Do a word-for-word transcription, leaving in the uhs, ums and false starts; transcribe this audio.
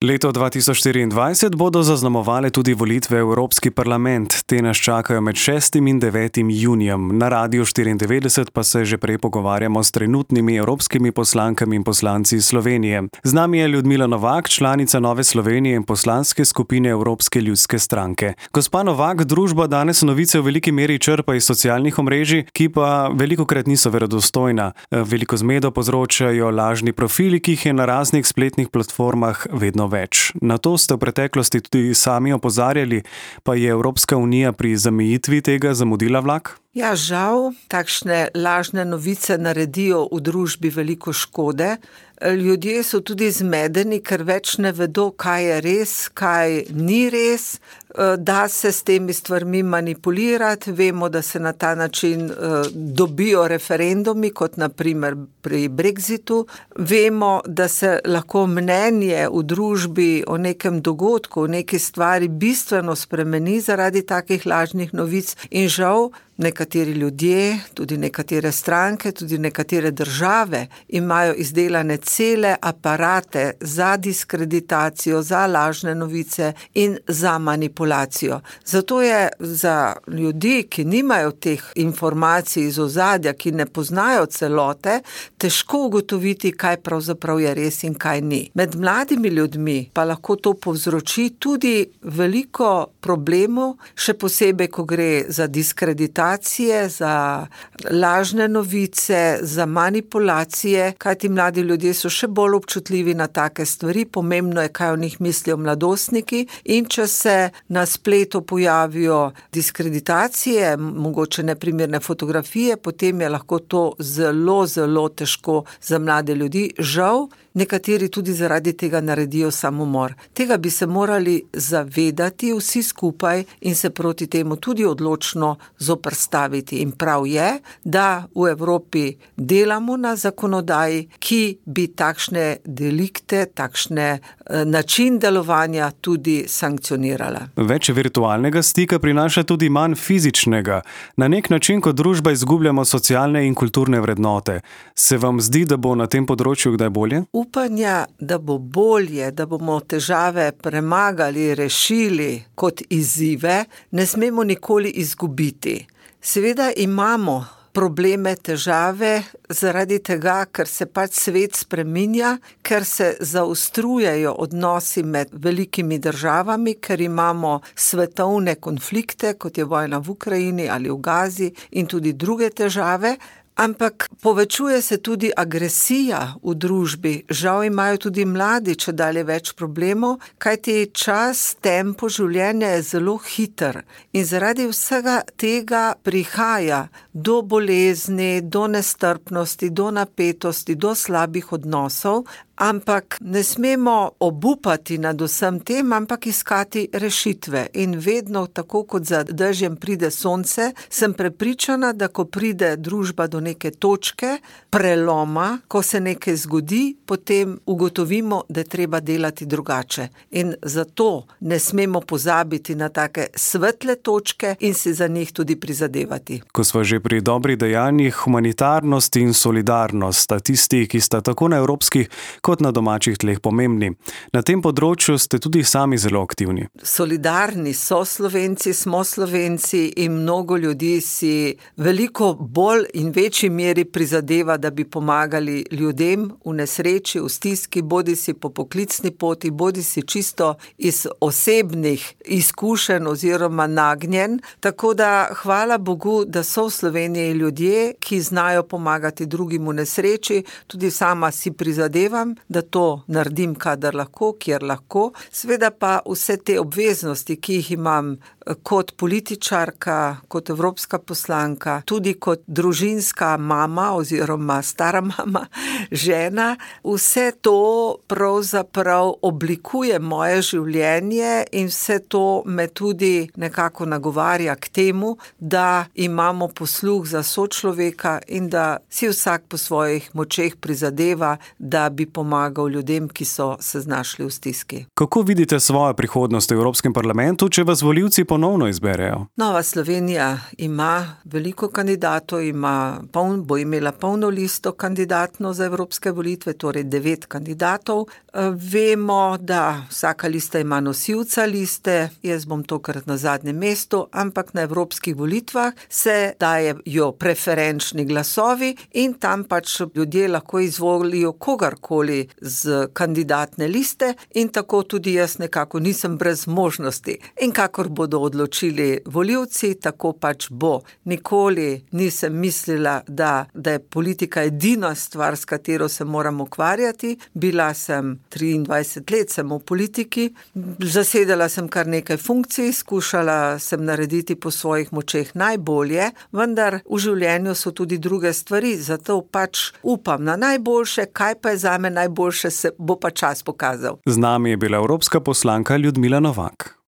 Leto dva tisoč štiriindvajset bodo zaznamovale tudi volitve v Evropski parlament. Te nas čakajo med šestim in devetim junijem. Na Radiu štiriindevetdeset pa se že prej pogovarjamo s trenutnimi evropskimi poslankami in poslanci iz Slovenije. Z nami je Ljudmila Novak, članica Nove Slovenije in poslanske skupine Evropske ljudske stranke. Gospa Novak, družba danes novice v veliki meri črpa iz socialnih omrežij, ki pa velikokrat niso verodostojna. Veliko zmedo povzročajo lažni profili, ki jih je na raznih spletnih platformah vedno več. Na to ste v preteklosti tudi sami opozarjali, pa je Evropska unija pri zamejitvi tega zamudila vlak? Ja, žal, takšne lažne novice naredijo v družbi veliko škode. Ljudje so tudi zmedeni, ker več ne vedo, kaj je res, kaj ni res. Da se s temi stvarmi manipulirati, vemo, da se na ta način dobijo referendumi, kot naprimer pri Brexitu. Vemo, da se lahko mnenje v družbi o nekem dogodku, o neki stvari bistveno spremeni zaradi takih lažnih novic in žal nekateri ljudje, tudi nekatere stranke, tudi nekatere države imajo izdelane cele aparate za diskreditacijo, za lažne novice in za manipulacijo. Zato je za ljudi, ki nimajo teh informacij iz ozadja, ki ne poznajo celote, težko ugotoviti, kaj pravzaprav je res in kaj ni. Med mladimi ljudmi pa lahko to povzroči tudi veliko problemov, še posebej, ko gre za diskreditacijo, za lažne novice, za manipulacije, kajti mladi ljudje so še bolj občutljivi na take stvari, pomembno je, kaj o njih mislijo mladostniki in če se na spletu pojavijo diskreditacije, mogoče neprimerne fotografije, potem je lahko to zelo, zelo težko za mlade ljudi. Žal, nekateri tudi zaradi tega naredijo samomor. Tega bi se morali zavedati vsi skupaj in se proti temu tudi odločno zoperstaviti. In prav je, da v Evropi delamo na zakonodaji, ki bi takšne delikte, takšne način delovanja tudi sankcionirala. Več virtualnega stika prinaša tudi manj fizičnega. Na nek način kot družba izgubljamo socialne in kulturne vrednote. Se vam zdi, da bo na tem področju kdaj bolje? Upanja, da bo bolje, da bomo težave premagali, rešili kot izzive, ne smemo nikoli izgubiti. Seveda imamo probleme, težave zaradi tega, ker se pač svet spreminja, ker se zaostrujejo odnosi med velikimi državami, ker imamo svetovne konflikte, kot je vojna v Ukrajini ali v Gazi in tudi druge težave. Ampak povečuje se tudi agresija v družbi. Žal imajo tudi mladi čedalje več problemov, kajti čas, tempo življenja je zelo hiter. In zaradi vsega tega prihaja do bolezni, do nestrpnosti, do napetosti, do slabih odnosov. Ampak ne smemo obupati nad vsem tem, ampak iskati rešitve. In vedno, tako kot za dežjem pride sonce, sem prepričana, da ko pride družba do neke točke preloma, ko se nekaj zgodi, potem ugotovimo, da je treba delati drugače. In zato ne smemo pozabiti na take svetle točke in si za njih tudi prizadevati. Ko smo že pri dobrih dejanjih, humanitarnost in solidarnost sta tisti, ki sta tako na evropskih kot na domačih tleh pomembni. Na tem področju ste tudi sami zelo aktivni. Solidarni so Slovenci, smo Slovenci in mnogo ljudi si veliko bolj in večji meri prizadeva, da bi pomagali ljudem v nesreči, v stiski, bodi si po poklicni poti, bodi si čisto iz osebnih izkušenj oziroma nagnjen. Tako da hvala Bogu, da so v Sloveniji ljudje, ki znajo pomagati drugim v nesreči. Tudi sama si prizadevam, da to naredim, kadar lahko, kjer lahko. Sveda pa vse te obveznosti, ki jih imam kot političarka, kot evropska poslanka, tudi kot družinska mama oziroma stara mama, žena, vse to pravzaprav oblikuje moje življenje in vse to me tudi nekako nagovarja k temu, da imamo posluh za sočloveka in da si vsak po svojih močeh prizadeva, da bi pomagal ljudem, ki so se znašli v stiski. Kako vidite svojo prihodnost v Evropskem parlamentu, če vas volivci ponovno izberejo? Nova Slovenija ima veliko kandidatov, ima poln, bo imela polno listo kandidatno za evropske volitve, torej devet kandidatov. Vemo, da vsaka lista ima nosilca liste, jaz bom tokrat na zadnjem mestu, ampak na evropskih volitvah se dajejo preferenčni glasovi in tam pač ljudje lahko izvolijo kogarkoli z kandidatne liste in tako tudi jaz nekako nisem brez možnosti. In kakor bodo odločili volivci, tako pač bo. Nikoli nisem mislila, da, da je politika edina stvar, s katero se moram ukvarjati. Bila sem triindvajset let sem v politiki, zasedala sem kar nekaj funkcij, skušala sem narediti po svojih močeh najbolje, vendar v življenju so tudi druge stvari, zato pač upam na najboljše, kaj pa je zame najboljše, se bo pa čas pokazal. Z nami je bila evropska poslanka Ljudmila Novak.